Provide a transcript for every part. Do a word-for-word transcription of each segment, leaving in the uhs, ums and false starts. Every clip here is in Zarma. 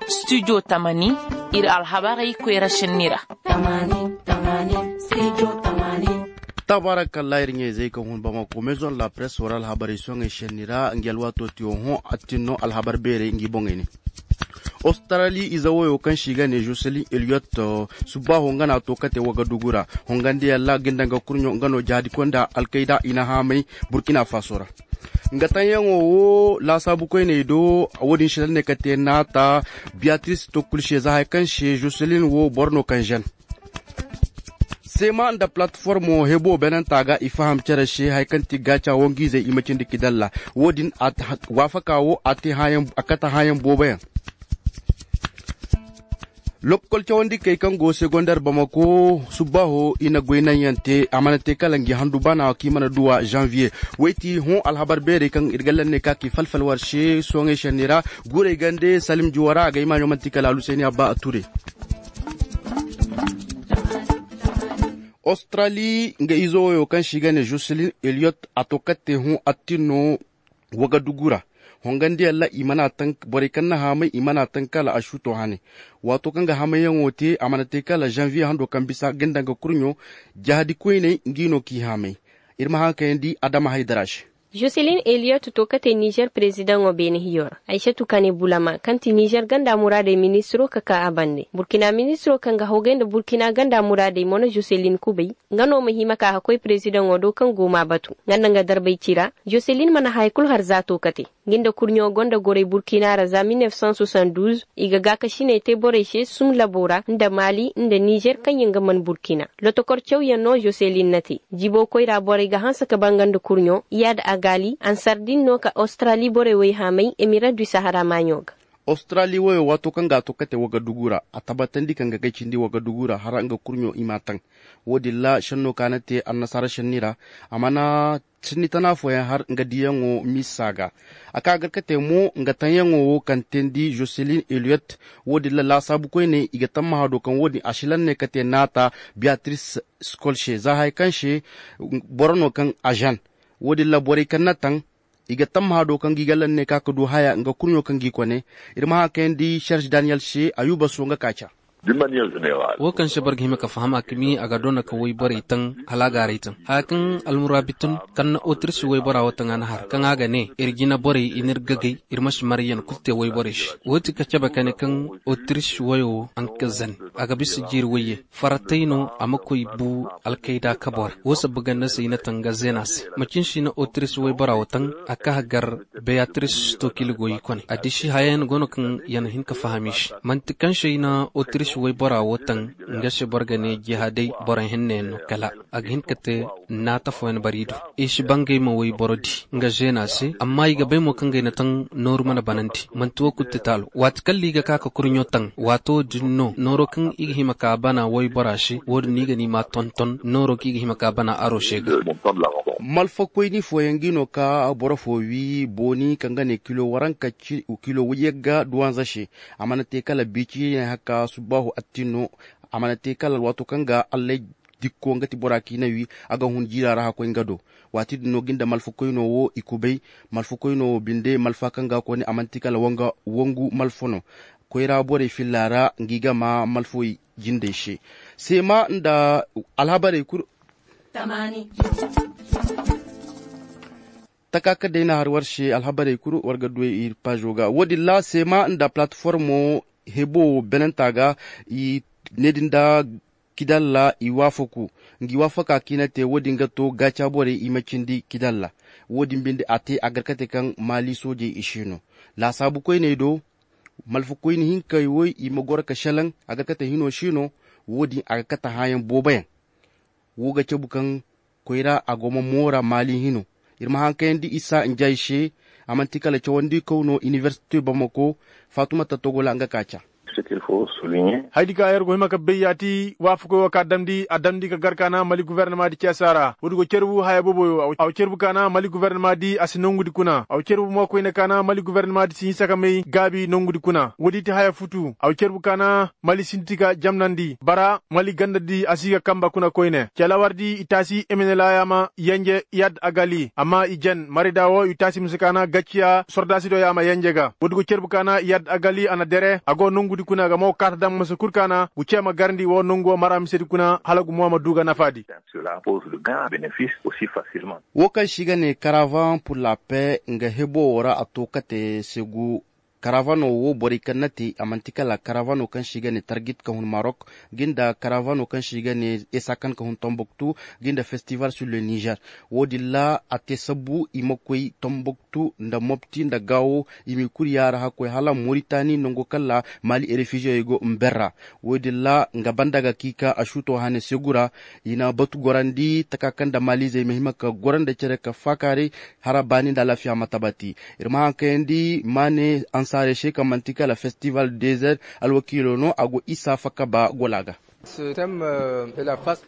Studio tamani, iri alhabarey koyra senni ra. Tabarakalla, iri ɲayzey kaŋ hun bamako maison de la presse wara alhabarey soŋey senni ra nga alwaato tiyo hõ attin no alhabar beerey ngi boŋey ne. Australi ize woyo kaŋ se i ga ne joselin eliyot, subbaaho nga no a to kate wagadugu ra. Hongandi yalla ga ni daŋ ga kurɲo nga no jaadi konda alkayda i na haamay burkina faso ra. Nga taŋyaŋo wo laasaabu koyney do. Wo- din si laŋ ne ka te naata. Biyatiris to kulu se za hari kaŋ se joselin wo boro no kaŋ zen. Seema nda palatiformo hebo beenanta ga i faham care se hari kaŋ ti gaaca wangu-izey i ma cindi kidalla. Wo- din waafaka wo a kate hãayaŋ boobo yaŋ. Lokkol cawandikey kaŋ go segonder bamako subbaaho i na goy naŋ yaŋ te a mana te kala ngi handu bana kaŋ i mana duw'a zanviye. Wayti hõ alhabar beerey kaŋ iri ga laŋ ne ka ka i falfal war se sooŋey senni ra. Guurey gande salim juwa ra a ga i maaɲo manti kala alhusayni abba a ture. Australi nga izo woyo kaŋ se i ga ne joselin eliyot a to katte hõ attin no. Wagadugu ra hongandiyaŋ ra i mana taŋ borey kaŋ na haamay i mana taŋ kala a suuto hane. Waato kaŋ ga hamayyaŋo te a mana te kala zanviye hando kaŋ bisa ga ni daŋ ga kurɲo. Jahadi koyney ngi no k'i haamay. Iri ma haŋ kayandi adama haydara se. Joselin eliyot to kate nizer perezidaŋo beene hiyo ra aysatu kane bulama kaŋ ti nizer ganda muraadey ministiro ka ka a bande burkina ministiro kaŋ ga hawgay nda burkina ganda muraadey mo na joselin kubay. Nga no ma hima ka ga koy perezidaŋo do kaŋ go m'a batu nga nda nga darbay ci ra. Joselin mana haya kulu har za to kate. Nga nda kurɲo gonda goray burkina ra za mil neef san soixante-douze. I ga gaakasiney te borey se sum labo ra nda maali nda nizer kaŋ yaŋ ga man burkina. Lotokor cawyaŋ no joselin na te. Jibo koyra borey ga hanse ka banga nda kurɲo iyad agali ansar din no ka australi borey wayhaamay emira du sahara maaɲo ga. Australi wayo waato kaŋ ga a to kate wagadugu ra a tabbatandi kaŋ ga kay cindi wagadugu ra hara nga kurɲo i m'a taŋ. Wo- din ra senno kaŋ a na te annasaara senni ra a mana senni tana fooyaŋ har nga diyaŋo misa ga. A ka gar ka te mo nga taŋyaŋo wo kaŋ teendi joselin eliyot. Wo- din ra laasaabu koyne i ga tammaha do kaŋ wo- din a si laŋ ne ka te naata biyatiris skol se za hari kaŋ se boro no kaŋ a zen. Wo- din ra borey kaŋ na taŋ i ga tammaha do kaŋ ga i ga laŋ ne ka ga du haya nga kurɲo kaŋ g'i kone. Iri ma haŋ kayandi serge daniyel se ayuba so nga kaaca. Wo kaŋ se boro ga hima ka faham a kami a ga doona ka wayborey taŋ hala a ga haray taŋ haya kaŋ almuraabitun kaŋ na otiris waybora wo taŋ a na har kaŋ a ga ne iri jina borey i n'iri gagay. Iri ma si maryaŋ kulu te wayborey se wo ti ka cabe kane kaŋ otiris wayo wo a nga ka zan a ga bisa jiiri wayye faratay no a ma koy bu alkayda kabo ra. Wo sabba ganda se i na taŋ ga zeena se macin si na otiris waybora wo taŋ a ka gar beyatiris to kila goy i kone a disi hayayaŋ go no kaŋ yaŋ hin ka faham i se manti kaŋ se i na otiris waybora wo taŋ. Nga se boro ga ne jihaaday boro hinne yaŋ no kala a ga hin ka te naata fooyaŋ bari i do. I si bangay ma wayboro di nga zeena se amma i ga bay mo kaŋ ga i na taŋ nooru mana banandi manti wo kulu ti taalo waati kaŋ liiga ka ka kurɲo taŋ waato din no nooro kaŋ i ga hima ka bana waybora se wo- din no i ga ni ma tonton nooro kaŋ i ga hima ka bana aro se ga. Malfakoyni fooyaŋ ga i no ka boro fo wi booni kaŋ ga ne kilo waranka kilo wayyagga duwanza se. A mana te kala biiciyaŋ haka subbaahu attin no. A mana te kala alwaato kaŋ ga allay dikko nga ti bora kaŋ i na wi a ga hun jiira ra hakkoy nga do. Waati din no ga nda malfakoyno wo i kubay. Malfakoyno wo binde malfa kaŋ ga kone a mana te kala wangu malfa no. Koyra borey filla ra nga i ga ma malfawey jindey se. Seema nda alhabarey kulu. Taka kaŋ day no a har war se alhabarey kulu war ga duwey iri paazo ga wo- din ra seema nda palatiformo hebo beenanta ga. I ne din da kidalla i waafaku. Nga i waafaka kaŋ i na te wo- din ga to gaaca borey i ma cindi kidalla. Wo- din binde a te a gar ka te kaŋ maali soojey i si no laasaabu koyney do. Malfakoyni hinkey wo i ma goro ka selaŋ a ga kate hino si no. Wo- din a ga kate hããyaŋ boobo yaŋ. Wo ga cabu kaŋ koyra a go ma moora maali hino. Iri ma haŋ kayandi isa njay se. A manti kala cawandi kaw no inibersite bamako. Faatuma tattogola nga ka ca. Haydi ka yer go hima ka bay ya ti waafakoy wo ka damndi a damndi ka gar kaana mali guvernama di ceesa ra woodi go cerbu haya booboyo a wo cerbu kaana mali guvernama di a si nongu di kuna a wo cerbu mo koyne kaana mali guvernama di si hinsa ka may gaabi nongu di kuna woodi ti haya futu a wo cerbu kaana mali sinti ka jamnandi bara mali ganda di a si ga kamba kuna koyne calawardi i taasi emenela yaama yenje yad agali amma i jen marida wo i taasi mise kaana gacciya sordaasi do yaama yenje ga woodi go cerbu kaana yad agali a na dere a go nongu di kuna ga mo kaata daŋ masa kul kaana gu ceema garndi wo nongu wo mara mise di kuna hala gu mo ma du ga nafa di. Wo kaŋ se i ga ne karavan pur la pe nga hebo wo ra a to kate segu karavano wo borey kaŋ na te a manti kala karavano kaŋ se i ga ne targit ka hun marok, ga nda karavano kaŋ se i ga ne esakan ka hun tomboktu, ga nda festival sur le niger. Wo- din ra a te sabbu i ma koy tomboktu nda mopti nda gaawo i m'i kuri yaara hakkoy hala moritani nango kaŋ ra mali refugiyey go mber ra. Wo- din ra nga banda ga ka i ka a suuto hane segu ra i na batu gorandi taka kaŋ nda maliizey ma hima ka goro nda care ka faakaaray hara baani nda alaafiya ma tabati. Iri ma haŋ kayandi maane ansaarey se kaŋ manti kala festival desert alwakiilo no a go isa fakka ba gola ga.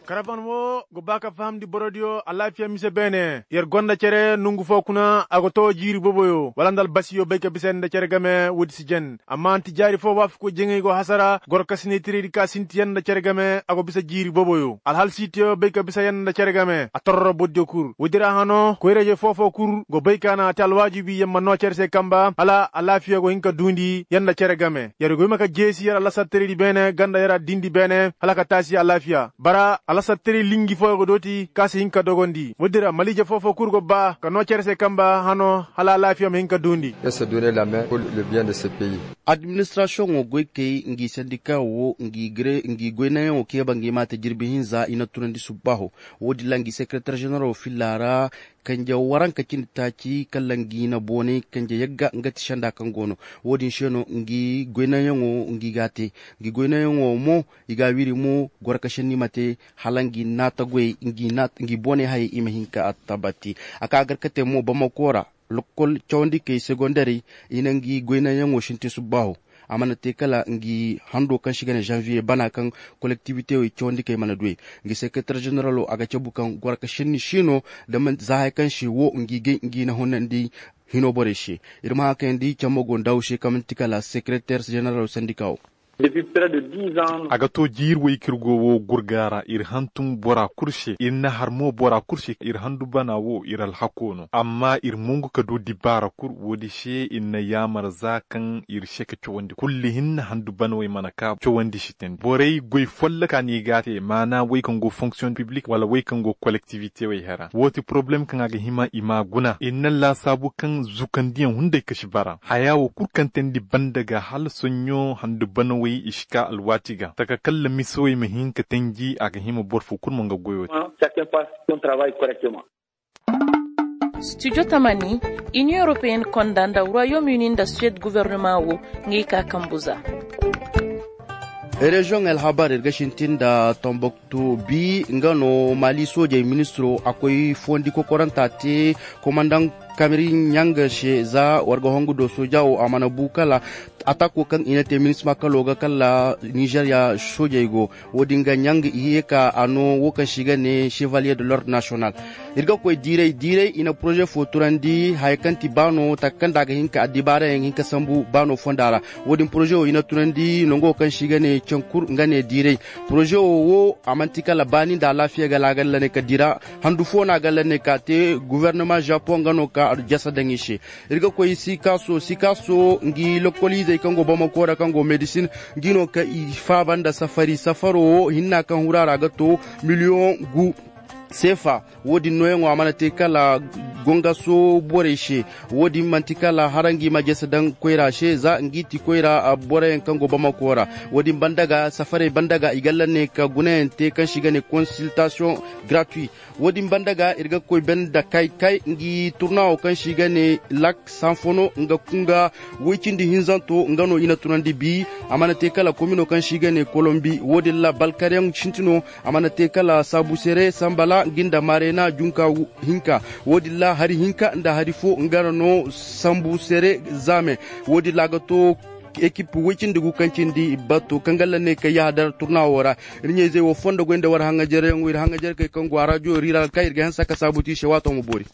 Karaban wo go ba ka fahamndi borodiyo alaafiya mise beene yer gonda cere nongu fo kuna a go to jiiri boboyo wala nda albasiyo bay ka bisa yer nda cere game woodi si jen amma antijaari fo waafakoy jaŋay go hasara goro kasinay tiraydi ka sinti yer nda cere game a go bisa jiiri boboyo alhalsiitiyo bay ka bisa yer nda cere game a torro borodiyo kul woodi ra hano koyra-ize fo-fo kul go bay ka naŋ a te alwaajibi yer ma no cere se kamba hala alaafiya go hin ka duundi yer nda cere game yer go hima ka jeesi yer alasartaraydi beene ganda yer addindi beene hala ka taasi alaafiya bara alasartaray linji fooyaŋ go dooti kaŋ a si hin ka dogondi woodin ra maliije fo-fo kulu go ba ka no cere se kamba hano hala alaafiya ma hin ka duundi. Administrasiyoŋo goy kay ngi sendika wo ngi goynayaŋo keeba ngi ma te jirbi hinza i na tunandi subbaaho. Wo- din ra ngi sekereter ženeralo filla ra kanje waranka cindi taaci kala ngi na boonay kanje yagga nga ti senda kaŋ go no. Wo- din se no ngi goynayaŋo ngi ga a te. Ngi goynayaŋo mo i ga a wiri mo goro ka senni ma te hala ngi naata goyey ngi boonay hayey i ma hin ka tabati. A ka gar ka te mo bamako ra lokkol cawandikey segondarey i na ngi goynayaŋo sintin subbaaho. A mana te kala ngi hando kaŋ se i ga ne zanviye bana kaŋ kolektibitewey cawandikey mana duw'ey. Ngi sekereter ženeralo a ga cabu kaŋ goro ka senni si no da manti za haya kaŋ se wo ngi gay ngi na hunandi hino borey se. Iri ma haŋ kayandi camma go nda wo se kaŋ manti kala sekereter ženeralo sandika wo. A ga to jiiri way kaŋ iri go wo gurga ra iri hantum bora kulu se iri na har mo bora kulu se iri handu bana wo iri alhako no amma iri mongu ka du dibaara kulu wo- din se iri na yaamar za kaŋ iri se ka cawandi kulli hinne handu bana way mana ka cawandi si tandi borey goy folloka no i ga a te maana way kaŋ go fonksiyon piblik wala way kaŋ go kolektivite way hera wo- ti poroblem kaŋ a ga hima i m'a guna iri na laasaabu kaŋ zukandiyaŋ hunday ka si bara haya wo kulu kaŋ teendi banda ga hala soɲɲo handu banawey i si ka alwaati ga taka kala misawey ma hin ka tanji a ga hima boro fo kulu ma nga goyo te. Studio tamani, Union Européenne konda nda Royaume Uni nda Suède gouvernement wo ngey ka kambu za. Reziyoŋ alhabar iri ga sintin nda Tombouctou bi nga no Mali soojey ministiro a koy fondi kokoranta te komandaŋ Kamiri ɲanga se za warga hongu do sooja wo a mana bu kala atako kaŋ i na te minisma kalo ga kala Nizeeriya soojey go. Wo- din ga ɲanga i ye ka a no wo kaŋ se i ga ne chevalier de l'ordre national. Iri ga koy diiray diiray i na poroze fo turandi haya kaŋ ti baano taka kaŋ da a ga hin ka addibaarayaŋ hin ka sambu baano fonda ra. Wo- din poroze wo i na tunandi nango kaŋ se i ga ne cankur nga ne diiray. Poroze wo wo a manti kala baani nda alaafiya ga laagal la ne ka dira handu fo no a ga la ne ka te guverneman japoŋ nga no ka jasa daŋ i se. Iri ga koy sikaso sikaso ngi lokoliizey kaŋ go bamako ra kaŋ go medisin ngi no ka i faaba nda safari safaro wo hinna kaŋ hura ra ga to miliyoŋ gu seefa. Wo- din nooyaŋo a mana te kala gongaso borey se. Wo- din manti kala hara ngi ma jese daŋ koyra se za ngi ti koyra boroyaŋ kaŋ go bamako ra. Wo- din banda ga safarey banda ga i ga la ne ka gunayaŋ te kaŋ se i ga ne konsiltasiyoŋ gratuit. Wo- din banda ga iri ga koy banda kay kay ngi turnawo kaŋ se i ga ne lak sanfono nga kunga woy cindi hinzanto nga no i na tunandi bi. A mana te kala komino kaŋ se i ga ne kolombi wo- din ra balkaryaŋ sintino. A mana te kala saabu sere sambala ngi nda maarena junka hinka. Wo- din ra hari hinka nda hari fo nga ra no sambu sere zaame. Wo- din ra a ga to Ekip way cindi gu kaŋ cindi batto kaŋ galla ne kaŋ yaha dara turnawo ra. Iri ɲayzey wo fondo goy nda war haŋajaryaŋo iri haŋajarkey kaŋ go a rajo iri ra kaŋ iri ga hanse a kasaabu ti i se waato ma boori.